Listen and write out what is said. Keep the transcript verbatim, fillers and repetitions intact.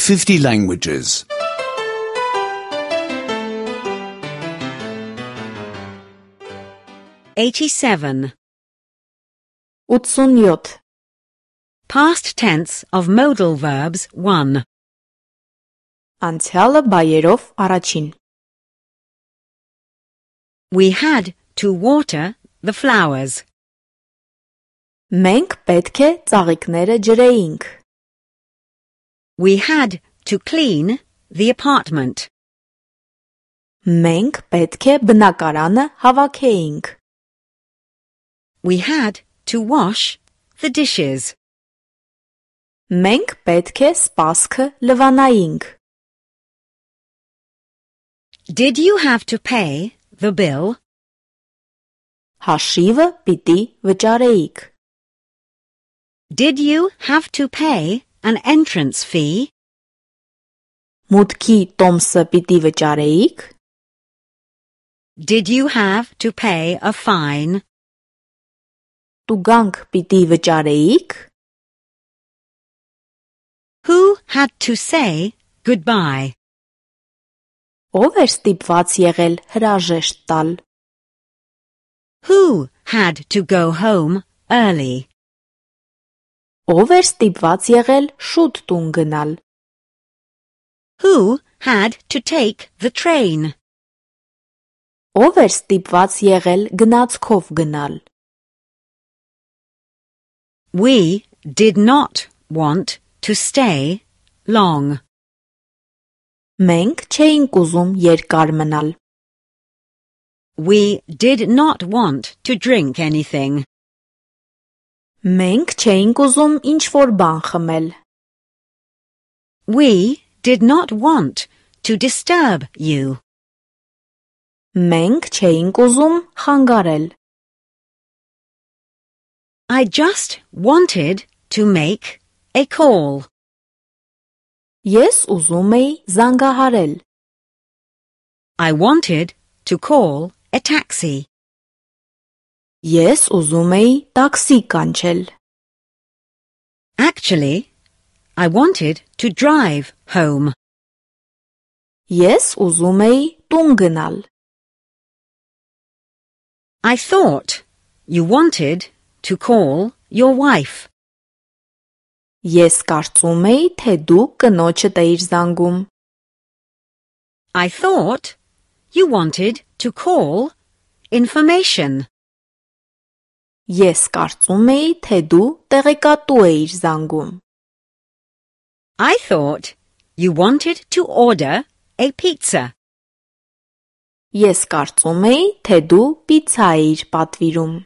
fifty languages. eighty-seven. ութսունյոթ. Past tense of modal verbs one. Անցյալը բայերով առաջին. We had to water the flowers. Մենք պետք է ծաղիկները ջրեինք. We had to clean the apartment. Մենք պետք է բնակարանը հավաքեինք. We had to wash the dishes. Մենք պետք է սպասքը լվանայինք. Did you have to pay the bill? Հաշիվը պիտի վճարեիք. Did you have to pay an entrance fee? Մուտքի տոմսը պիտի վճարեիք. Did you have to pay a fine? Տուգանք պիտի վճարեիք. Who had to say goodbye? Ով էր ստիպված եղել հրաժեշտ տալ. Who had to go home early? Ով էր ստիպված եղել շուտ տուն գնալ. Who had to take the train? Ով էր ստիպված եղել գնացքով գնալ. We did not want to stay long. Մենք չէինք ուզում երկար մնալ. We did not want to drink anything. Մենք չէինք ուզում ինչ-որ բան խմել. We did not want to disturb you. Մենք չէինք ուզում խանգարել. I just wanted to make a call. Ես ուզում էի զանգահարել. I wanted to call a taxi. Ես ուզում էի տաքսի կանչել. Actually, I wanted to drive home. Ես ուզում էի տուն գնալ. I thought you wanted to call your wife. Ես կարծում էի, թե դու կնոջդ էիր զանգում. I thought you wanted to call information. Ես կարծում էի, թե դու տեղեկատու էիր զանգում. I thought you wanted to order a pizza. Ես կարծում էի, թե դու պիցցա էիր պատվիրում.